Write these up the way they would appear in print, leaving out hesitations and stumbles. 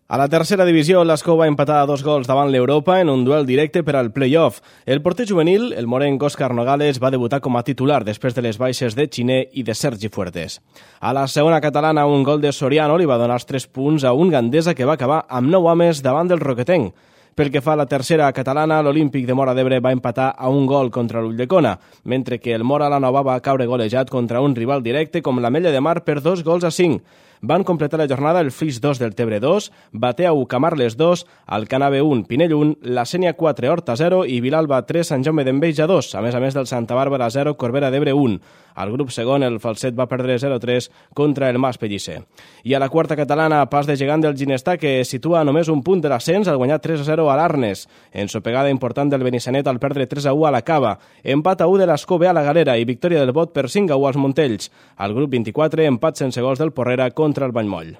A la tercera divisió, l'Escó va empatar a 2 gols davant l'Europa en un duel directe per al play-off. El porter juvenil, el morenc Òscar Nogales, va debutar com a titular després de les baixes de Xiner i de Sergi Fuertes. A la segona catalana, un gol de Soriano li va donar els 3 punts a un Gandesa que va acabar amb 9 homes davant del Roquetenc. Pel que fa a la tercera catalana, l'Olímpic de Móra d'Ebre va empatar a un gol contra l'Ulldecona, mentre que el Móra la Nova va caure golejat contra un rival directe com l'Ametlla de Mar per 2-5. Van completar la jornada el Flix 2 del Tebre 2, Batea 1, Camarles 2, Alcanave 1, Pinell 1, La Sénia 4, Horta 0 i Vilalba 3, Sant Jaume d'Enveja 2, a més del Santa Bàrbara 0, Corbera d'Ebre 1. Al grup segon, el Falset va perdre 0-3 contra el Mas Pellicer. I a la quarta catalana, pas de gegant del Ginestà, que situa només un punt de l'ascens al guanyar 3-0 a l'Arnes. Ensopegada important del Benissanet al perdre 3-1 a la Cava. Empat a 1 de l'Escó B a la Galera i victòria del Bot per 5-1 als Montells. Al grup 24, empat sense gols del Porrera contra el Vallmoll.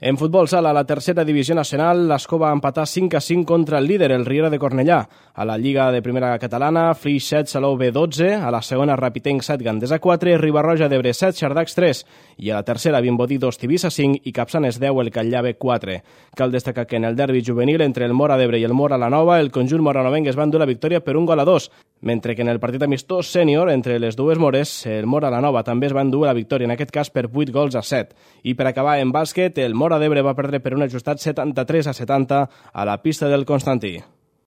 En futbol sala, a la tercera divisió nacional, l'Escó va empatar 5-5 contra el líder, el Riera de Cornellà. A la Lliga de Primera Catalana, Flix 7, Salou B 12, a la segona Rapitenc 7, Gandesa 4, Ribarroja d'Ebre 7, Xardacs 3, i a la tercera Vimbodí 2, Tivissa 5 i Capçanes 10, el Catllà 4. Cal destacar que en el derbi juvenil entre el Móra d'Ebre i el Móra la Nova, el conjunt moranovenc es va endur la victòria per 1-2, mentre que en el partit amistós sènior entre les dues Mores, el Móra la Nova també es va endur la victòria, en aquest cas per 8-7. I per acabar en bàsquet, el Móra d'Ebre va perdre per un ajustat 73-70 a la pista del Constantí.